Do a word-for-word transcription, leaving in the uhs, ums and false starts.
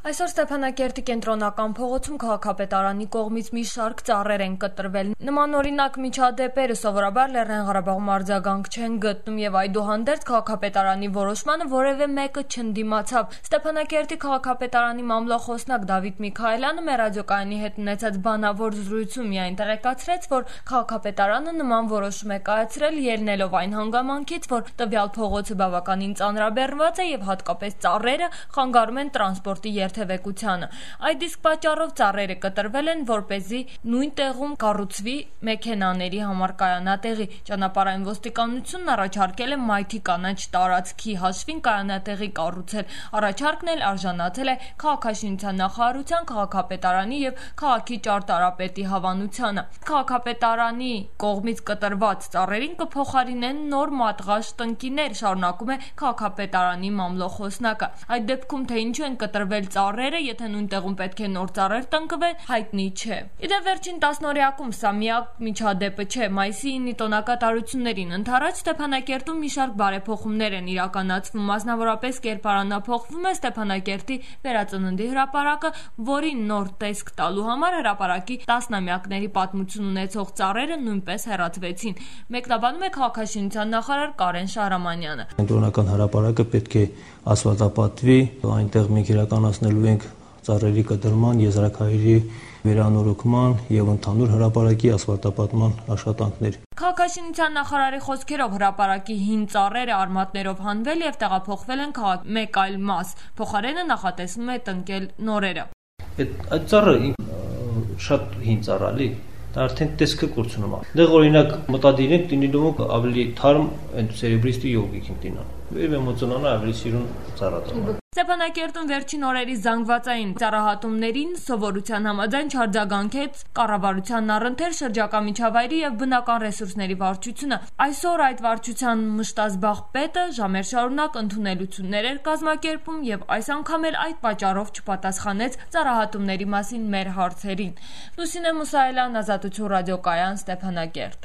Այսօր Ստեփանակերտի կենտրոնական փողոցում քաղաքապետարանի կողմից մի շարք ծառեր են կտրվել։ Նմանօրինակ միջադեպերը սովորաբար Լեռնային Ղարաբաղում արձագանք չեն գտնում եւ այդուհանդերձ քաղաքապետարանի որոշմանը որևէ մեկը չընդդիմացավ։ Ստեփանակերտի քաղաքապետարանի մամլոխոսնակ Դավիթ Միքայելյանը մեր ռադիոկայանի հետ ունեցած բանավոր զրույցում միայն տեղեկացրեց, որ քաղաքապետարանը նման որոշում է կայացրել ելնելով այն հանգամանքից, որ տվյալ փողոցը բավականին ծանրաբեռնված է եւ հատկապես ծառերը խանգարում են տրանսպորտի երթևեկությանը։ Այդ իսկ պատճառով ծառերը կտրվել են, որպեսզի նույն տեղում կառուցվի մեքենաների համար կայանատեղի։ Ճանապարհային ոստիկանությունն առաջարկել է մայթի կանաչ տարածքի հաշվին կայանատեղի կառուցել։ Առաջարկն էլ արժանացել է քաղաքաշինության նախարարության, քաղաքապետարանի եւ քաղաքի ճարտարապետի հավանությանը։ Քաղաքապետարանի կողմից կտրված ծառերին կփոխարինեն նոր մատղաշ տնկիներ, շարունակում է քաղաքապետարանի մամլոխոսնակը։ Այդ դեպքում թե ինչու են կտրվել ծառերը, եթե նույն տեղում պետք է նոր ծառեր տնկվեն, հայտնի չէ։ Իդեպ վերջին տասնօրյակում սա միակ միջադեպը չէ։ Մայիսի ինը տոնակատարություններին ընդառաջ Ստեփանակերտում մի շարք բարեփոխումներ են իրականացվում, մասնավորապես կերպարանափոխվում է Ստեփանակերտի վերածննդի հրապարակը, որին նոր տեսք տալու համար հրապարակի տասնամյակների պատմություն ունեցող ծառերը նույնպես հեռացվեցին։ Մեկնաբանում է քաղաքաշինության նախարար Կարեն Շահրամանյանը։ Կենտրոնական հրապարակը պետք է ասֆալտապատվի, այնտեղ մենք իրականացնելու ենք ծառերի կտրման, եզրաքարերի վերանորոգման եւ ընդհանուր հրապարակի ասֆալտապատման աշխատանքներ։ Քաղաքաշինության նախարարի խոսքերով հրապարակի հին ծառերը արմատներով հանվել եւ տեղափոխվել են քաղաքի մեկ այլ մաս։ Փոխարենը նախատեսվում է տնկել նորերը։ Այդ ծառը շատ հին ծառ է, դա արդեն տեսքը կորցնում է։ Դեղ օրինակ մտադիր ենք դինիդոմը ավելի թարմ այն սերեբրիստի յոգիկ ենք դինան։ Եվ էմոցիոնալ ավելի սիրուն ծառա։ Ստեփանակերտում վերջին օրերի զանգվածային ծառահատումներին սովորության համաձայն չարձագանքեց կառավարության առընթեր շրջակա միջավայրի եւ բնական ռեսուրսների վարչությունը։ Այսօր այդ վարչության մշտազբաղ պետը ժամեր շարունակ ընդունելություններ էր կազմակերպում եւ այս անգամ էլ այդ պատճառով չպատասխանեց ծառահատումների մասին մեր հարցերին։ Լուսինե Մուսայելյան, Ազատություն ռադիոկայան, Ստեփանակերտ։